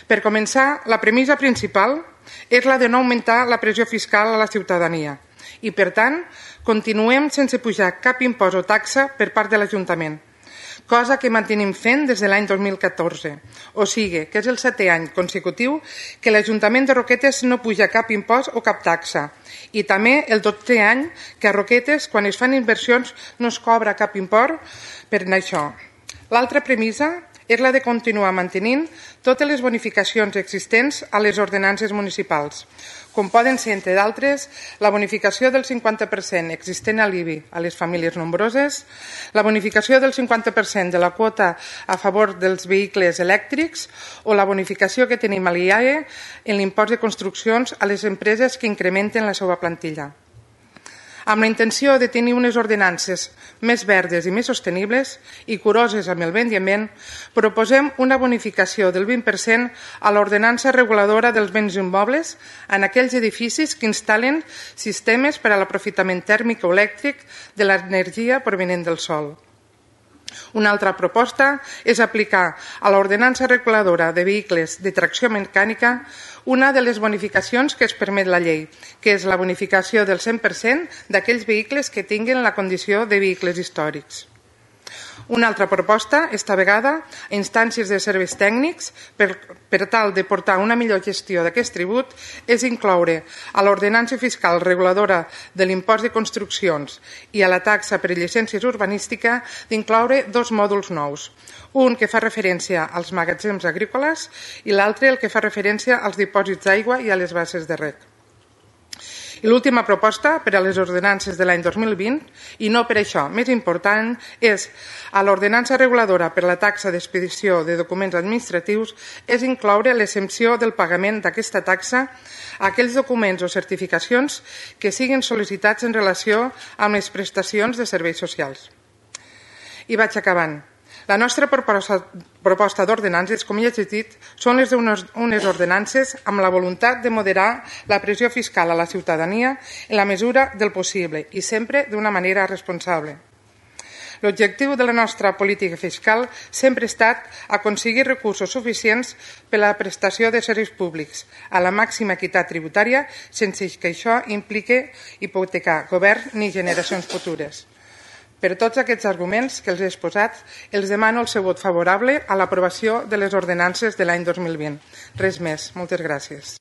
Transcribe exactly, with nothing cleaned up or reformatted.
Per començar, la premissa principal és la de no augmentar la pressió fiscal a la ciutadania i, per tant, continuem sense pujar cap impost o taxa per part de l'Ajuntament, cosa que mantenim fent des de l'any dos mil catorze. O sigui, que és el setè any consecutiu que l'Ajuntament de Roquetes no puja cap impost o cap taxa. I també el dotzè any que a Roquetes, quan es fan inversions, no es cobra cap import per això. L'altra premissa és la de continuar mantenint totes les bonificacions existents a les ordenances municipals, com poden ser, entre d'altres, la bonificació del cinquanta per cent existent a l'I B I a les famílies nombroses, la bonificació del cinquanta per cent de la quota a favor dels vehicles elèctrics o la bonificació que tenim a l'I A E en l'impost de construccions a les empreses que incrementen la seva plantilla. Amb la intenció de tenir unes ordenances més verdes i més sostenibles i curoses amb el medi ambient, proposem una bonificació del vint per cent a l'ordenança reguladora dels béns immobles en aquells edificis que instal·len sistemes per a l'aprofitament tèrmic o elèctric de l'energia provinent del sol. Una altra proposta és aplicar a l'ordenança reguladora de vehicles de tracció mecànica una de les bonificacions que es permet la llei, que és la bonificació del cent per cent d'aquells vehicles que tinguin la condició de vehicles històrics. Una altra proposta, esta vegada, a instàncies de serveis tècnics, per, per tal de portar una millor gestió d'aquest tribut, és incloure a l'ordenança fiscal reguladora de l'impost de construccions i a la taxa per llicències urbanística d'incloure dos mòduls nous, un que fa referència als magatzems agrícoles i l'altre el que fa referència als dipòsits d'aigua i a les basses de reg. I l'última proposta per a les ordenances de l'any dos mil vint, i no per això més important, és a l'ordenança reguladora per la taxa d'expedició de documents administratius és incloure l'exempció del pagament d'aquesta taxa a aquells documents o certificacions que siguin sol·licitats en relació amb les prestacions de serveis socials. I vaig acabant. La nostra proposta d'ordenances, com ja he dit, són les d'unes ordenances amb la voluntat de moderar la pressió fiscal a la ciutadania en la mesura del possible i sempre d'una manera responsable. L'objectiu de la nostra política fiscal sempre ha estat aconseguir recursos suficients per a la prestació de serveis públics a la màxima equitat tributària sense que això impliqui hipotecar govern ni generacions futures. Per tots aquests arguments que els he exposat, els demano el seu vot favorable a l'aprovació de les ordenances de l'any dos mil vint. Res més. Moltes gràcies.